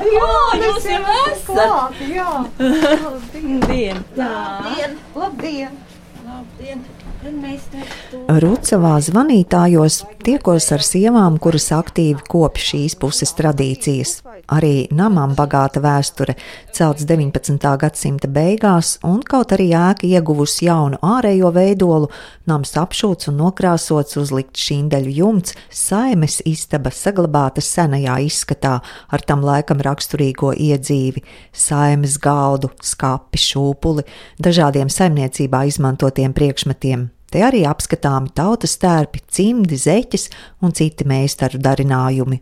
Jūs jau esat! Jā, Labdien! labdien! Labdien! Rucavā zvanītājos tiekos ar sievām, kuras aktīvi kopj šīs puses tradīcijas. Arī namam bagāta vēsture, celts 19. gadsimta beigās, un kaut arī ēka ieguvusi jaunu ārējo veidolu, nams apšūts un nokrāsots, uzlikt šindeļu jumts, saimes istaba saglabāta senajā izskatā ar tam laikam raksturīgo iedzīvi, saimes galdu, skapi, šūpuli, dažādiem saimniecībā izmantotiem priekšmetiem. Te arī apskatāmi tautas tērpi, cimdi, zeķes un citi meistaru darinājumi.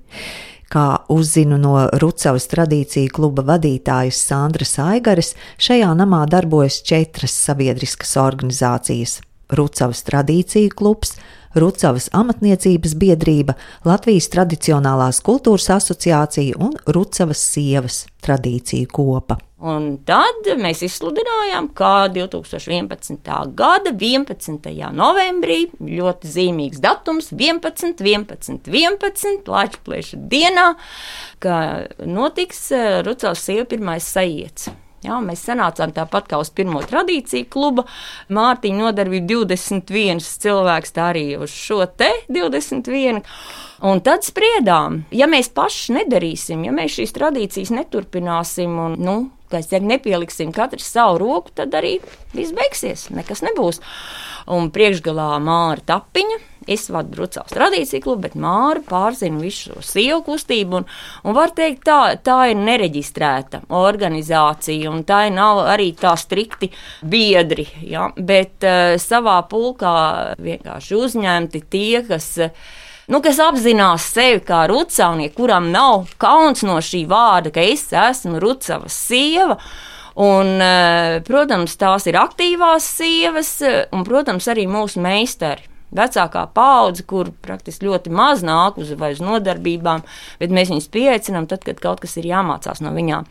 Kā uzzinu no Rucavas tradīciju kluba vadītājas Sandras Aigares, šajā namā darbojas 4 sabiedriskas organizācijas – Rucavas tradīciju klubs, Rucavas amatniecības biedrība, Latvijas tradicionālās kultūras asociācija un Rucavas sievas tradīciju kopa. Un tad mēs izsludinājām, kā 2011. gada 11. novembrī, ļoti zīmīgs datums, 11. Lāčplēša dienā, ka notiks Rucavas sievu pirmais sajiets. Jā, mēs sanācām tāpat kā uz pirmo tradīciju kluba. Mārtiņa nodarbība 21 cilvēks, tā arī uz šo te 21. Un tad spriedām, ja mēs paši nedarīsim, ja mēs šīs tradīcijas neturpināsim un, nepieliksim katrs savu roku, tad arī viss beigsies, nekas nebūs. Un priekšgalā Māra Tapiņa, es vadu Rucavas tradīciju klubu, bet Māra pārzina visu šo sievu kustību, un var teikt, tā ir nereģistrēta organizācija, un tā nav arī tā strikti biedri, ja? Bet savā pulkā vienkārši uzņemti tie, kas apzinās sevi kā rucavnieki, kuram nav kauns no šī vārda, ka es esmu Rucavas sieva. Un, protams, tās ir aktīvās sievas, un, protams, arī mūsu meistari. Vecākā paudze, kur praktiski ļoti maz nāk uz nodarbībām, bet mēs viņus pieaicinām tad, kad kaut kas ir jāmācās no viņām.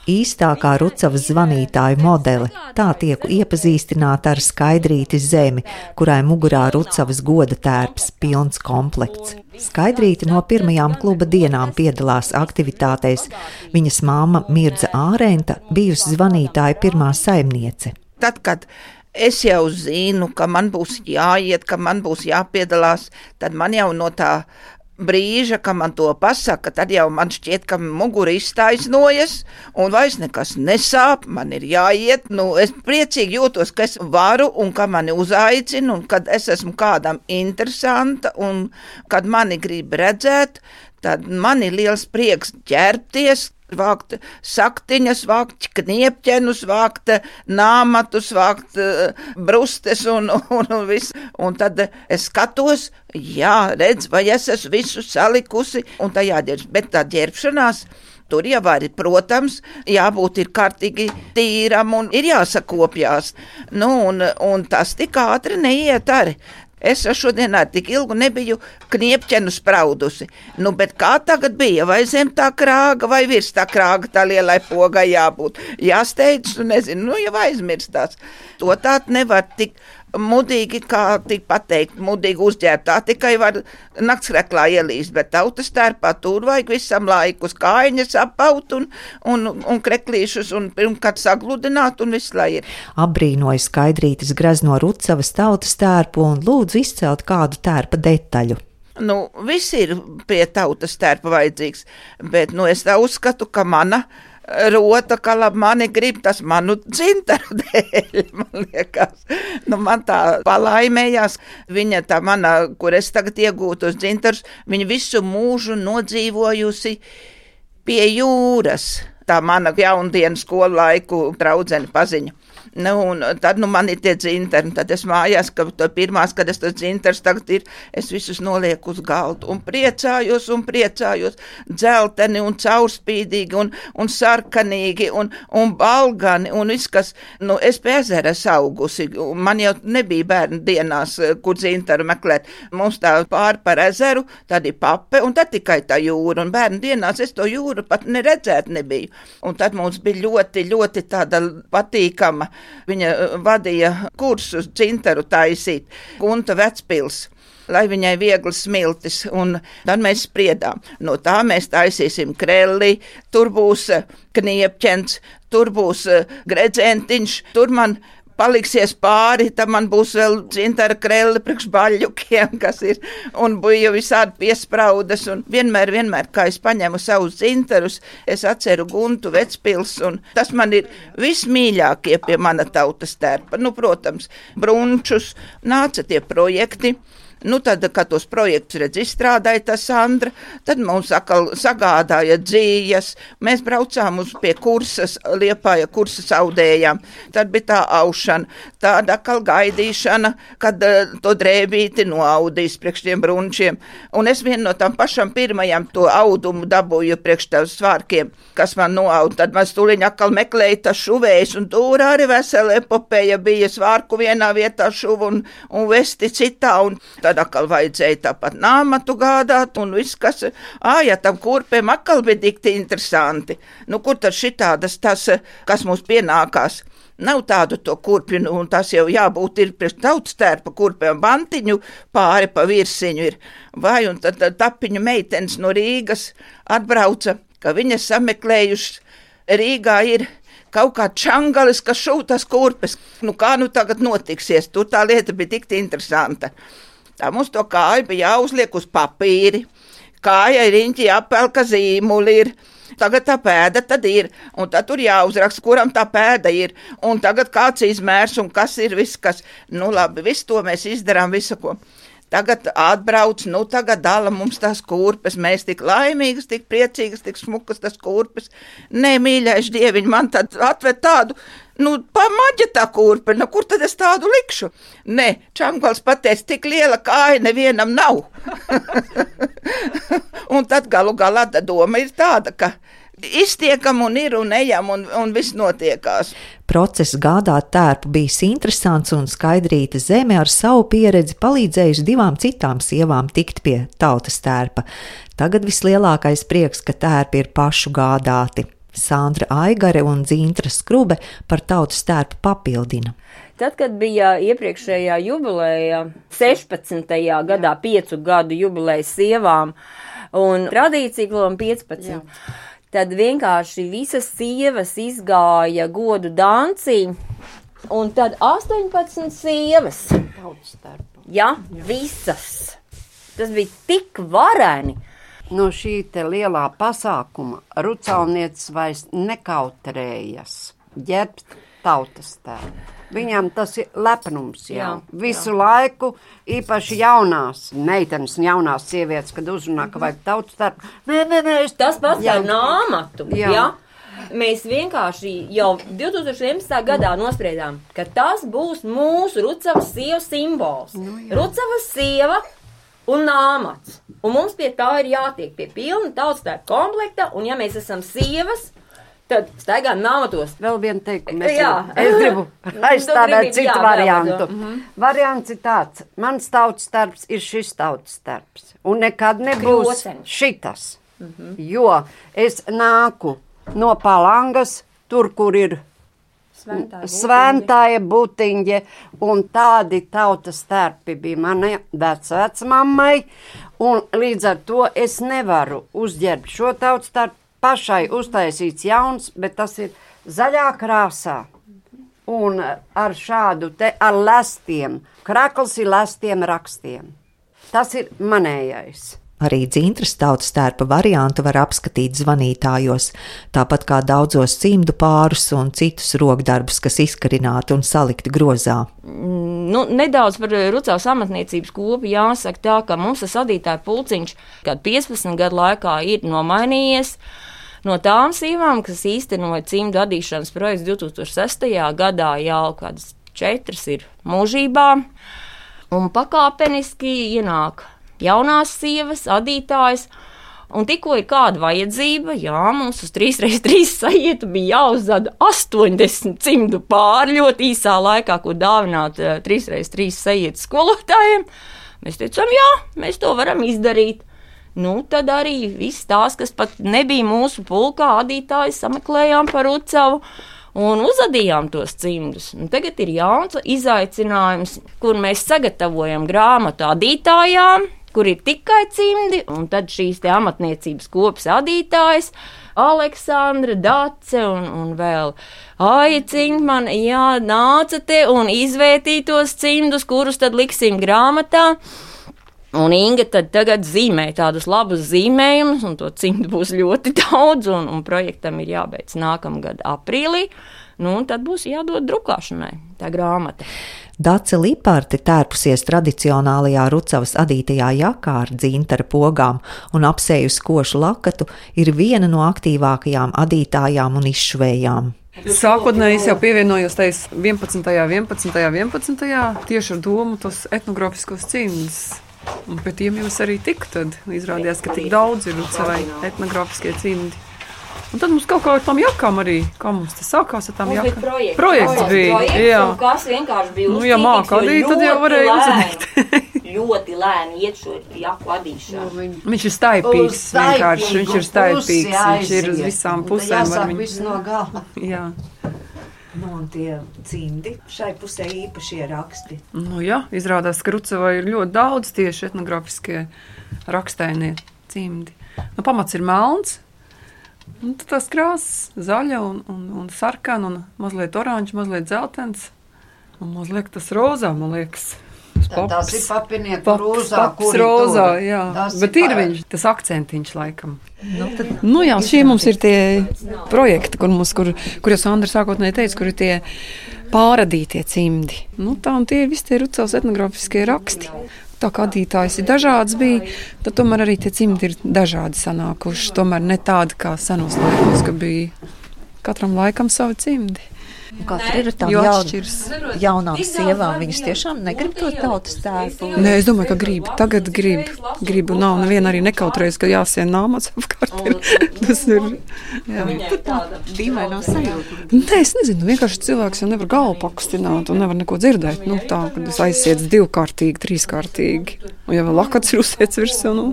Īstākā Rucavas zvanītāju modele, tā tieku iepazīstināta ar Skaidrīti Zemi, kurai mugurā Rucavas goda tērps, pilns komplekts. Skaidrīte no pirmajām kluba dienām piedalās aktivitātēs. Viņas māma Mirdza Ārenta bijusi zvanītāja pirmā saimniece. Tad, kad es jau zinu, ka man būs jāiet, ka man būs jāpiedalās, tad man jau no tā brīža, ka man to pasaka, tad jau man šķiet, ka mugura iztaisnojas un vairs nekas nesāp, man ir jāiet. Es priecīgi jūtos, ka es varu un ka mani uzaicina un kad es esmu kādam interesanta un kad mani grib redzēt, tad man ir liels prieks ķerties, vākt saktiņas, vākt kniepķenus, vākt nāmatus, vākt brustes un visu. Un tad es skatos, redz, vai es esmu visu salikusi un tā jāģerbs. Bet tā ģerbšanās, tur jau arī, protams, jābūt ir kārtīgi tīram un ir jāsakopjās. Un tas tik ātri neiet arī. Es šodien tik ilgu nebiju kniepķenu spraudusi. Bet kā tagad bija? Vai zem tā krāga, vai virs tā krāga tā lielai pogai jābūt? Jāsteidz, nezinu, jau aizmirstās. To tā nevar tik mudīgi, kā tik pateikt, mudīgi uzģērbt. Tā tikai var naktsreklā ielīst, bet tautas tērpā tur vajag visam laikus kājiņas apaut un kreklīšus un pirmkārt sagludināt un viss lai ir. Apbrīnoja Skaidrītes grezno Rucavas tautas tērpu un lūdzu izcelt kādu tērpa detaļu. Viss ir pie tautas tērpa vajadzīgs, bet es tā uzskatu, ka mana rota, ka labi mani grib, tas manu dzintaru dēļ, man liekas. Man tā palaimējās. Viņa tā mana, kur es tagad iegūtu uz dzintarus, viņa visu mūžu nodzīvojusi pie jūras. Tā mana jaundienu skolu laiku draudzene paziņa. Un tad man ir tie dzintari, tad es mājās, ka pirmās, kad es tos dzintarus tagad ir, es visus nolieku uz galdu un priecājos, dzelteni un caurspīdīgi un sarkanīgi un balgani un viss, kas, es pie ezera augusi, man jau nebija bērnu dienās, kur dzintaru meklēt, mums tā pār par ezeru, tad ir pape un tad tikai tā jūra, un bērnu dienās es to jūru pat neredzēt nebiju, un tad mums bija ļoti, ļoti tāda patīkama. Viņa vadīja kursus dzintaru taisīt, Gunta Vecpils. lai viņai viegli smiltis, un tad mēs spriedām. No tā mēs taisīsim krelli, tur būs kniepķens, tur būs gredzentiņš, tur man paliksies pāri, tad man būs vēl dzintara krelli priekš baļļukiem, kas ir, un bija visādi piespraudas, un vienmēr, kā es paņemu savus dzintarus, es atceru Guntu Vecpils, un tas man ir vismīļākie pie mana tautas tērpa. Nu, protams, brunčus, nāca tie projekti. Nu, tad, kad tos projektus izstrādāja tā Sandra, tad mums atkal sagādāja dzījas. Mēs braucām pie kursas, Liepāja kursas audējām. Tad bija tā aušana, tāda atkal gaidīšana, kad to drēbīti noaudīs priekš tiem brunčiem. Un es vienu no tām pašām pirmajām to audumu dabūju priekš tām svārkiem, kas man noaud. Tad man stūliņ atkal meklēja tas šuvējs, un tur arī vesela epopeja bija svārku vienā vietā šuvu un vesti citā. Un tad atkal vajadzēja tāpat nāmatu gādāt, un viss, kas, ja tam kurpēm atkal bija dikti interesanti. Nu, kur tad šitādas tas, kas mums pienākās? Nav tādu to kurpju, un tas jau jābūt ir priekš tautas tērpa kurpēm, bantiņu pāri pa virsiņu ir. Vai, un tad tapiņu meitenes no Rīgas atbrauca, ka viņas sameklējušas Rīgā ir kaut kā čangalis, kas šūtas kurpes. Nu, kā nu tagad notiksies? Tur tā lieta bija tik interesanta. Tā mums to kāju bija jāuzliek uz papīri, kāja riņķi jāpelka zīmuli ir, tagad tā pēda tad ir, un tad tur jāuzraksta, kuram tā pēda ir, un tagad kāds izmērs, un kas ir viss, kas, nu labi, visu to mēs izdarām, visu ko. Tagad atbrauc, nu tagad dala mums tās kurpes, mēs tik laimīgas, tik priecīgas, tik smukas tas kurpes. Nē, mīļais dieviņ, man tad atved tādu, nu, pamaģa tā kurpe, nu, kur tad es tādu likšu? Nē, Čangals pateica, tik liela kāja nevienam nav. Un tad galu galā doma ir tāda, ka iztiekam un ir un ejam un viss notiekās. Process gādāt tērpu bijis interesants, un Skaidrīta Zeme ar savu pieredzi palīdzējusi 2 citām sievām tikt pie tautas tērpa. Tagad vislielākais prieks, ka tērpi ir pašu gādāti. Sandra Aigare un Dzintra Skrube par tautas tērpu papildina. Tad, kad bija iepriekšējā jubileja, 16. gadā 5 gadu jubileja sievām un tradīcija klubam 15. Jā. Tad vienkārši visas sievas izgāja godu dancī, un tad 18 sievas. Tautas tērpa. Jā, visas. Tas bija tik vareni. No šī te lielā pasākuma Rucalnieces vairs nekautrējas ģērbt tautas tērpu. Viņam tas ir lepnums jau. Visu laiku, īpaši jaunās meitenes un jaunās sievietes, kad uzrunā, ka vajag tautas tērpu. Nē, tas pats par nāmatu. Jā. Mēs vienkārši jau 2011. gadā nospriedām, ka tas būs mūsu Rucavas sievas simbols. Rucavas sieva un nāmats. Un mums pie tā ir jātiek pie pilna tautas tērpa komplekta, un ja mēs esam sievas, tad staigām nāmatos. Vēl vienu teikumu. Es gribu aizstāvēt citu variantu. Variants ir tāds. Mans tautas tērps ir šis tautas tērps. Un nekad nebūs šitas. Jo es nāku no Palangas, tur, kur ir Svēntāja Butiņģe, un tādi tautas tērpi bija manai vecmammai, un līdz ar to es nevaru uzģērbt šo tautas tērpu. Pašai uztaisīts jauns, bet tas ir zaļā krāsā un ar šādu te ar lestiem. Krakls ir lestiem rakstiem. Tas ir manējais. Arī Dzintras tautas tērpa variantu var apskatīt zvanītājos, tāpat kā daudzos cimdu pārus un citus rokdarbus, kas izkarināti un salikti grozā. Nu, nedaudz par Rucavas amatniecības kopu jāsaka tā, ka mums tas adītāju pulciņš, kad 15 gadu laikā ir nomainījies. No tām sievām, kas īstenoja cimdu adīšanas projekts 2006. gadā, jau kādas 4 ir mūžībā, un pakāpeniski ienāk jaunās sievas, adītājas, un tikko ir kāda vajadzība, mums uz 3x3 sajietu bija jāuzzada 80 cimdu pāri ļoti īsā laikā, ko dāvināt 3x3 sajietu skolotājiem. Mēs teicām, mēs to varam izdarīt. Nu, tad arī viss tās, kas pat nebija mūsu pulkā, adītāji sameklējām par Rucavu, un uzadījām tos cimdus. Un tagad ir jauns izaicinājums, kur mēs sagatavojam grāmatu adītājām, kur ir tikai cimdi, un tad šīs te amatniecības kopas adītājas, Aleksandra, Dace un vēl Aija Cinkmana, jā, nāca te un izvērtīja tos cimdus, kurus tad liksim grāmatā. Un Inga tad tagad zīmē tādus labus zīmējumus, un to cimdu būs ļoti daudz, un projektam ir jābeidz nākamgad aprīlī. Nu, un tad būs jādod drukāšanai tā grāmata. Dace Liparte tērpusies tradicionālajā Rucavas adītajā jakā ar dzintara pogām un apsējusi košu lakatu, ir viena no aktīvākajām adītājām un izšuvējām. Sākotnēji es jau pievienojos tais 11. tieši ar domu tos etnogrāfiskos cimdus. Un pie tiem jūs arī tik tad izrādījās, ka tik daudz ir Rucavai etnogrāfiskie cimdi. Un tad mums kaut kā ar tām jakām arī, kā mums tas sākās ar tām jakām. Projekts bija, jā. Kas vienkārši bija uzcīnīts, ja māka adīt, tad jau varēja uzadīt. Ļoti lēni iet šo jaku adīšanu. Viņš ir staipīgs vienkārši, viņš ir staipīgs, viņš ir uz visām pusēm. Jāsāk viss no gala. Jā. Nu, un tie cimdi šai pusē īpašie raksti. Nu jā, izrādās, ka Rucavai ir ļoti daudz tieši etnogrāfiskie rakstainie cimdi. Nu, pamats ir melns, un tad tās krāsas zaļa un sarkana un mazliet oranža, mazliet dzeltens un mazliet tas rozā, man liekas. Tas ir papinieku rozā, kuri rozā, jā. Bet ir viņš, tas akcentiņš laikam. Nu jā, šie mums ir tie projekti, kur jau Sandra sākotnēji teica, kur ir tie pāradītie cimdi. Nu tā, un tie visi tie Rucavas etnogrāfiskie raksti. Tā kā adītājs ir dažāds bija, tad tomēr arī tie cimdi ir dažādi sanākuši. Tomēr ne tādi kā senos laikos, ka bija katram laikam savi cimdi. Katra ir tā jaunām sievām, viņas tiešām negrib to tautas tērpu. Nē, es domāju, ka grib. Tagad grib. Nav neviena arī nekautrējas, ka jāsien nāmats apkārt. Tas ir. Jā. Tā dīvainā sajūta. Nē, es nezinu, vienkārši cilvēks jau nevar galvu pakustināt un nevar neko dzirdēt. Nu, tā, kad es aizsiedz 2-kārtīgi, 3-kārtīgi. Un ja vēl lakats ir uzsiets virsū, nu.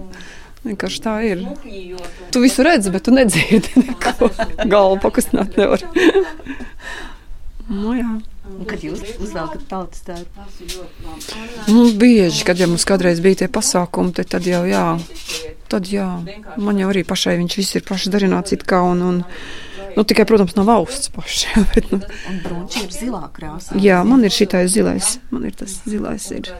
Vienkārši tā ir. Tu visu redzi, bet tu nedzirdi neko. Galvu pakustināt nevar. Nu, jā. Un kad jūs uzvelkat tautas tērpu? Nu, bieži, kad jau mums kādreiz bija tie pasākumi, tad jau jā. Tad jā. Man jau arī pašai viņš viss ir paši darināts it kā un nu, tikai, protams, nav valsts paši. Bet, nu. Un brunči ir zilā krāsā. Jā, man ir šitais zilais. Man ir tas zilais ir.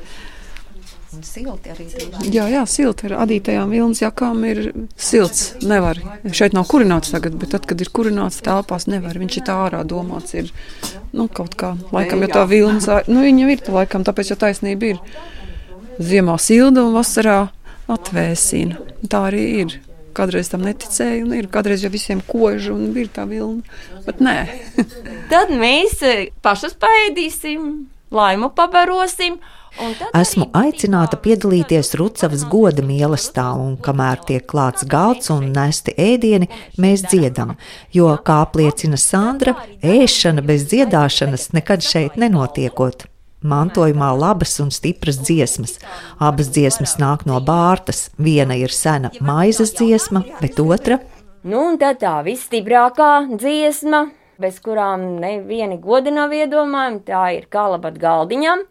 Un silti arī. Jā, silti ar adītajām vilnas jakām ir silts. Nevar. Šeit nav kurināts tagad, bet tad, kad ir kurināts telpās, nevar. Viņš ir tā ārā domāts ir, nu, kaut kā, laikam, jo tā vilnas, nu, viņa ir tā laikam, tāpēc jau taisnība ir. Ziemā silda un vasarā atvēsina. Tā arī ir. Kādreiz tam neticēju un ir. Kādreiz jau visiem kožu un ir tā vilna. Bet nē. Tad mēs pašas paēdīsim, laimu pabarosim. Esmu aicināta piedalīties Rucavas goda mīlestā, un kamēr tiek klāts galds un nesti ēdieni, mēs dziedam, jo, kā apliecina Sandra, ēšana bez dziedāšanas nekad šeit nenotiekot. Mantojumā labas un stipras dziesmas. Abas dziesmas nāk no Bārtas. Viena ir sena maizes dziesma, bet otra. Nu, un tad tā visstiprākā dziesma, bez kurām nevieni godi nav iedomājami, tā ir Kalabat galdiņam.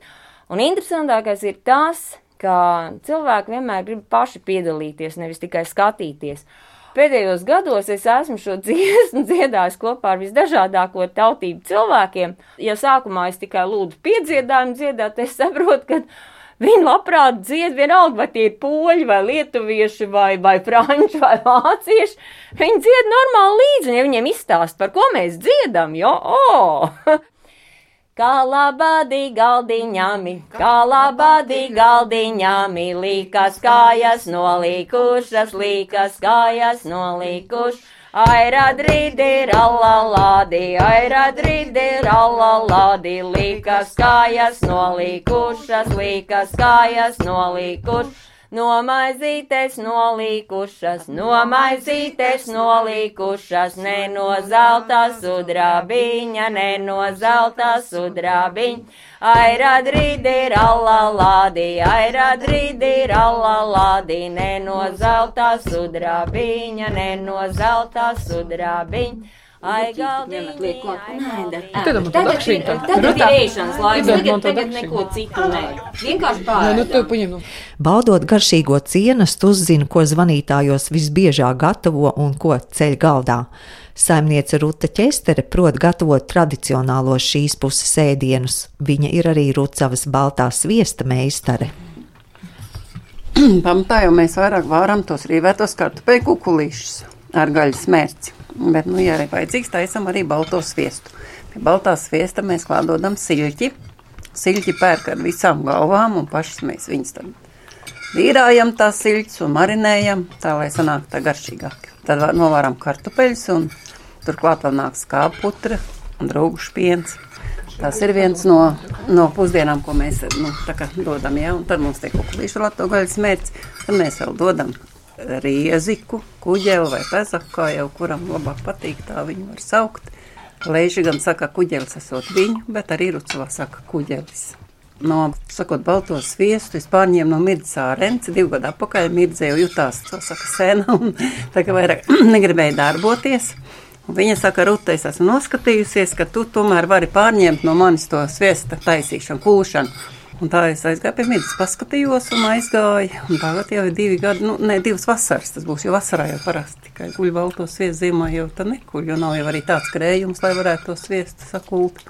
Un interesantākais ir tas, ka cilvēki vienmēr grib paši piedalīties, nevis tikai skatīties. Pēdējos gados es esmu šo dziesmu dziedājis kopā ar visdažādāko tautību cilvēkiem. Ja sākumā es tikai lūdzu piedziedājumu dziedāt, es saprotu, ka viņi labprāt dzied vienalga, vai tie ir poļi, vai lietuvieši, vai franči, vai vācieši. Viņi dzied normāli līdzi, un ja viņiem izstāst, par ko mēs dziedam, jo, Kalabadi galdiņami, līkas kājas nolīkušas, Airadridi, rallaladi, līkas kājas nolīkušas, Nomaizītes nolīkušas, ne no zelta sudrabiņa, Airadridi, rallaladi, ne no zelta sudrabiņa, Ai, galdiņi, Tagad ir ēšanas laiks, tagad neko citu nē. Vienkārši pārēdām. Baudot garšīgo cienastu, uzzina, ko zvanītājos visbiežāk gatavo un ko ceļ galdā. Saimniece Ruta Ķestere prot gatavot tradicionālos šīs puses ēdienus. Viņa ir arī Rucavas baltā sviesta meistare. Pamatā jau mēs vairāk vāram tos rīvētos kartupeļu kukulīšus ar gaļas mērci. Bet, ja ir vajadzīgs, taisam arī balto sviestu. Pie baltā sviesta mēs klādodam siļķi. Siļķi pērk ar visām galvām un pašas mēs viņus tad vīrājam tās siļķis un marinējam, tā lai sanāk tā garšīgāk. Tad novāram kartupeļus un turklāt vēl nāk skāputra un draugušu piens. Tas ir viens no pusdienām, ko mēs dodam, ja? Un tad mums tiek kukulīšu lato gaļas mērķis, tad mēs vēl dodam rieziku, kuģeli vai pezaku, kā jau kuram labāk patīk, tā viņu var saukt. Leiži gan saka, kuģelis esot viņu, bet arī Rucavā saka kuģelis. Sakot balto sviestu, es pārņēmu no Mirdzes ārenci, 2 gadu atpakaļ Mirdze jau jutās, to saka sena, un tā kā vairāk negribēja darboties. Un viņa saka, Ruta, es esmu noskatījusies, ka tu tomēr vari pārņemt no manis to sviesta taisīšanu, kūšanu. Un tā es aizgāju pie Mirdzes, paskatījos un aizgāju. Un tagad jau ir 2 gadi, 2 vasaras, tas būs, jo vasarā jau parasti tikai guļ balto sviestu, ziemā jau tā nekuļ, jo nav jau arī tāds krējums, lai varētu to sviestu sakult.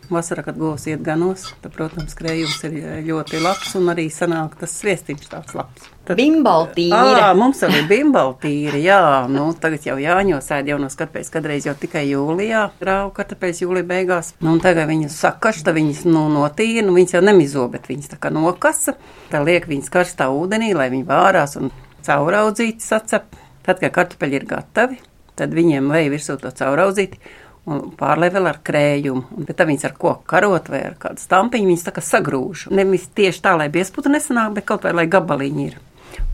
Vasarā, kad govs iet ganos, tad, protams, krējums ir ļoti labs un arī sanāk tas sviestiņš tāds labs. Bimbaltīra. Mums arī bimbaltīra, jā. Tagad jau jāņos ēd jaunos kartupeļus, kadreiz jau tikai jūlijā rāvu kartupeļus jūlija beigās. Un tagad viņas sakašta, viņas notīra, viņas jau nemizo, bet viņas tā kā nokasa. Tā liek viņas karstā ūdenī, lai viņi vārās un cauraudzīti sacep. Tad, kad kartupeļi ir gatavi, tad viņiem vajag virsū to cauraudzīti. Un pārlai vēl ar krējumu, bet tad viņas ar koku karot vai ar kādu stampiņu, viņas tā kā sagrūž. Nevis tieši tā, lai biesputa nesanāk, bet kaut vai, lai gabaliņi ir.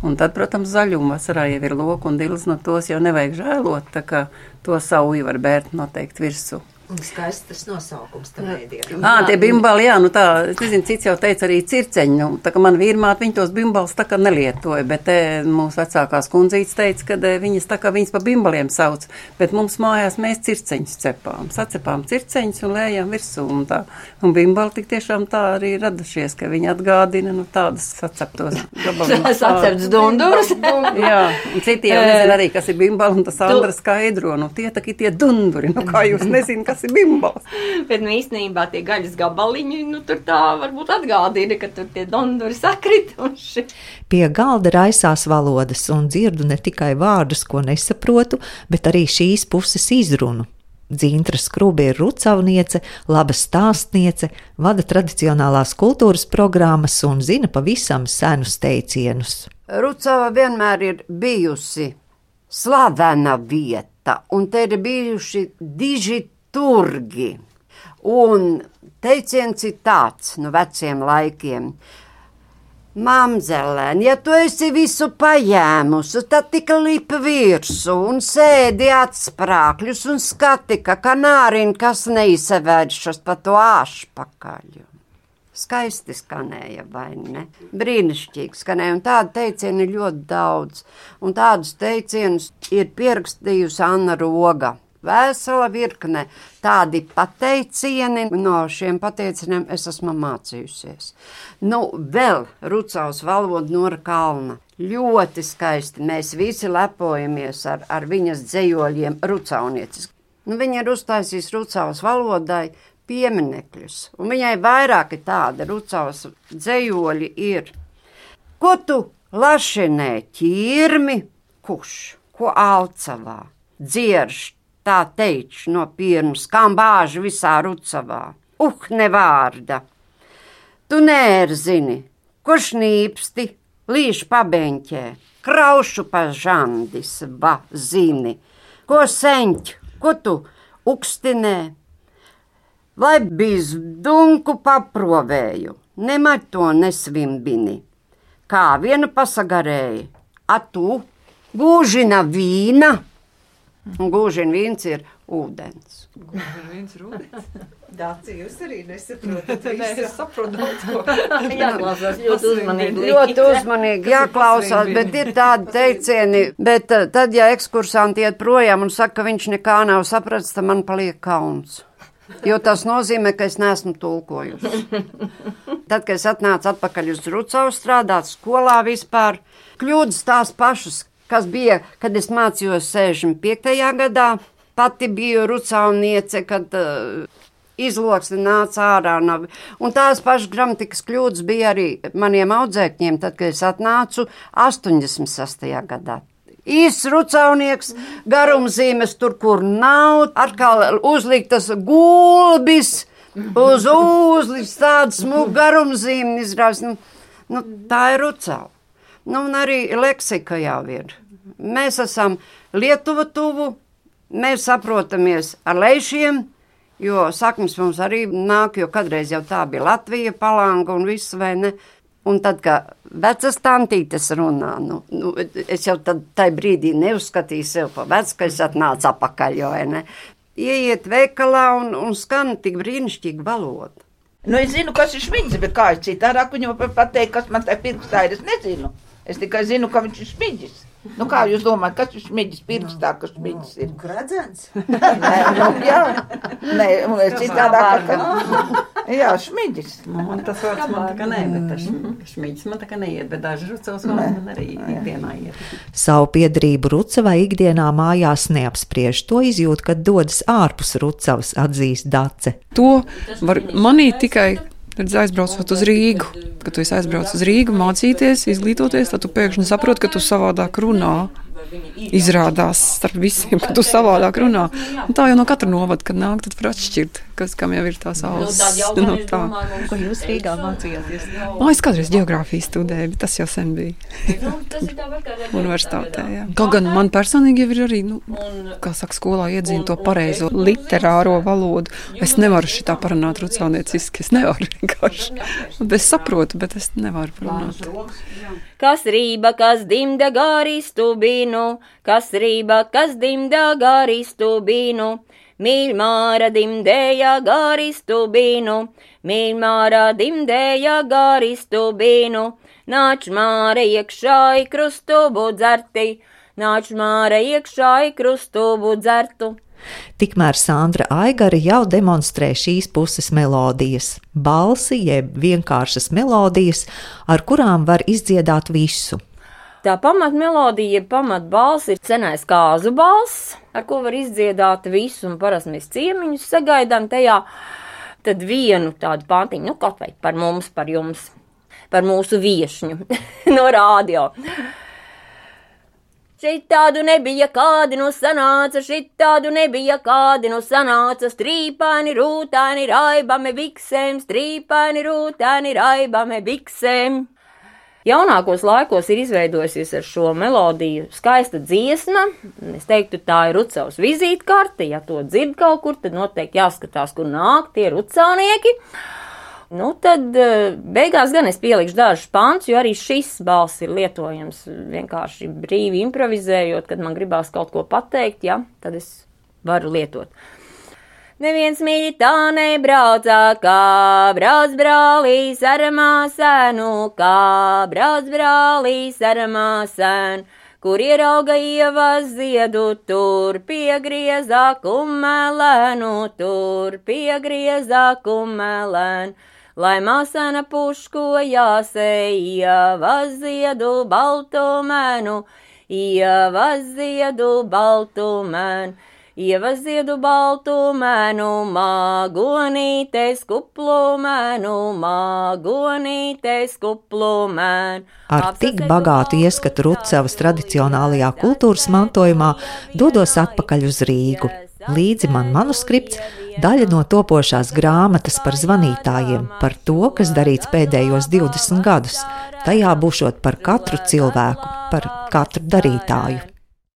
Un tad, protams, zaļumu vasarā jau ir loku un dils, no tos jau nevajag žēlot, tā kā to sauju var bērt noteikti virsū. Un skaists tas nosaukums tam ēdienam. Tie bimbali, jā, tā, es nezinu, cits jau teica arī circeņi, tā kā man vīrmāt, viņi tos bimbalus tā kā nelietoja, bet mūsu vecākās kundzītes teica, ka viņas tā kā viņas pa bimbaliem sauc, bet mums mājās mēs circeņus cepām, sacepām circeņus un lējām virsū un tā. Un bimbali tik tiešām tā arī radušies, ka viņi atgādina, tādas saceptos gabaliņus. Sacepts dundurs. Jā, un citi jau nezin arī, kas ir bimbali, un tas Andra skaidro, tie dunduri, kā jūs nezinu, kas ir bimbals. Bet īstenībā tie gaļas gabaliņi, tur tā varbūt atgādina, ka tur tie dunduri sakrituši. Pie galda raisās valodas un dzirdu ne tikai vārdus, ko nesaprotu, bet arī šīs puses izrunu. Dzintra Skrubi ir rucavniece, laba stāstniece, vada tradicionālās kultūras programmas un zina pavisam senus teicienus. Rucava vienmēr ir bijusi slavena vieta, un te ir bijuši diži turgi. Un teiciens ir tāds no veciem laikiem. Mamzelēn, ja tu esi visu paņēmusi, tad tik lip virsū un sēdi atsprākļus un skati, ka kanāriņ, kas neizsevēršas pa to āšpakaļu. Skaisti skanēja, vai ne? Brīnišķīgi skanēja, un tādu teicienu ir ļoti daudz. Un tādus teicienus ir pierakstījusi Anna Roga. Vesela virkne tādi pateicieni, no šiem pateicieniem es esmu mācījusies. Vēl Rucavas valoda Nora Kalna. Ļoti skaisti, mēs visi lepojamies ar viņas dzejoļiem rucavniecis. Viņa ir uztaisījusi Rucavas valodai pieminekļus, un viņai vairāki tādi Rucavas dzejoļi ir. Ko tu lašinē ķirmi, kurš, ko Alcavā, dzierš, tā teič no pirms, kam bāži visā Rucavā. Ne vārda. Tu nērzini, ko šnīpsti, līš pabeņķē, kraušu pa žandis, va zini, ko seņķ, ko tu ukstinē, vai bizdunku paprovēju, nemaz to nesvimbini. Kā viena pasagarēja, a tu gūžina vīna, Un gūžien vīns ir ūdens. Dāci, jūs arī nesaprotat visu. Nē, es saprotu daudz ko. Jāklausās ļoti uzmanīgi. Ļoti uzmanīgi jāklausās, bet ir tādi teicieni. Bet tad, ja ekskursanti iet projām un saka, ka viņš nekā nav sapratis, tad man paliek kauns. Jo tas nozīmē, ka es neesmu tulkojusi. Tad, kad es atnācu atpakaļ uz Rucavu strādāt skolā vispār, kļūdas tās pašas, kas bija, kad es mācījos 65. gadā. Pati biju rucauniece, kad izloksne nāca ārā. Un tās pašas gramatikas kļūdas bija arī maniem audzēkņiem, tad, kad es atnācu 86. gadā. Īsts rucaunieks, garumzīmes tur, kur nav, atkal uzliktas gulbis, uz uzliks tāds smūg garumzīme izrās. Tā ir Rucava. Un arī leksika jau ir. Mēs esam Lietuva tuvu, mēs saprotamies ar leišiem, jo saknes mums arī nāk, jo kādreiz jau tā bija Latvija, Palanga un viss, vai ne? Un tad, kad vecas tantītes runā, es jau tai brīdī neuzskatīju sev pa vecu, ka es atnācu apakaļ, jo, vai ne? Ieiet veikalā un skan tik brīnišķīga valoda. Es zinu, kas ir šmiģis, bet kā es citādāk viņam pateikt, kas man tai pirkstā ir, es nezinu. Es tikai zinu, ka viņš ir šmiģis. Kā jūs domājat, kas ir šmiģis pirkstā, kas šmiģis ir? Gradzens? Jā. Nē, un es citādāk, jā, šmiģis. Un tas vārds man tā kā nē, bet tas šmiģis man tā kā neiet, bet daži Rucavas vārdi man arī ikdienā iet. Savu piederību Rucavai ikdienā mājās neapspriež. To izjūt, kad dodas ārpus Rucavas, atzīst Dace. To var manīt tikai, kad aizbraucot uz Rīgu. Kad tu aizbrauc uz Rīgu mācīties, izglītoties, tad tu pēkšņi saproti, ka tu savādāk runā. Izrādās starp visiem, ka tu savādāk runā. Un tā jau no katra novada, kad nāk, tad var atšķirt, kam jau ir tās ausis. Tā. Ko jūs Rīgā mācījāties? Es kādreiz geogrāfiju studēju, bet tas jau sen bija. Universitātē, jā. Kaut gan man personīgi jau ir arī, kā saka, skolā iedzina to pareizo literāro valodu. Es nevaru šitā parunāt rucaunieciski, es nevaru vienkārši. Es saprotu, bet es nevaru parunāt. Kas rība, kas dimda gāristu bīnu, kas rība, kas dimda gāristu bīnu, mīļmāra dimdēja gāristu bīnu, mīļmāra dimdēja gāristu bīnu, nāč māre iekšā I krustubu dzerti, nāč māre iekšā I krustubu dzertu. Tikmēr Sandra Aigara jau demonstrē šīs puses melodijas, balsi jeb vienkāršas melodijas, ar kurām var izdziedāt visu. Tā pamatmelodija, pamatbalss ir senais kāzu balss, ar ko var izdziedāt visu, un parasti mēs ciemiņus sagaidām tajā, tad vienu tādu pantiņu, kaut vai par mums, par jums, par mūsu viešņu no rādio. Šitādu nebija kādi no sanāca, šitādu nebija kādi no sanāca, strīpaini, rūtaini, raibami biksēm, strīpaini, rūtaini, raibami biksēm. Jaunākos laikos ir izveidojusies ar šo melodiju skaista dziesma. Es teiktu, tā ir Rucavas vizītkarte. Ja to dzird kaut kur, tad noteikti jāskatās, kur nāk tie rucaunieki. Tad beigās gan es pielikšu dažus pants, jo arī šis balss ir lietojams vienkārši brīvi improvizējot, kad man gribās kaut ko pateikt, tad es varu lietot. Neviens mīļi tā nebraucā, kā brauc brālīs ar māsēnu, kā brauc brālīs ar māsēnu, kur ierauga ievas ziedu, tur piegriezā kumelēnu, tur piegriezā kumelēnu. Lai māsēna puško jāsei, ievas ziedu baltu mēnu, ievas ziedu baltu mēnu, ievas ziedu baltu mēnu, māgonītes kuplu mēnu, māgonītes kuplu mēnu. Ar tik bagātu ieskatu Rucavas tradicionālajā kultūras mantojumā dodos atpakaļ uz Rīgu. Līdzi man manuskripts, daļa no topošās grāmatas par zvanītājiem, par to, kas darīts pēdējos 20 gadus. Tajā būšot par katru cilvēku, par katru darītāju.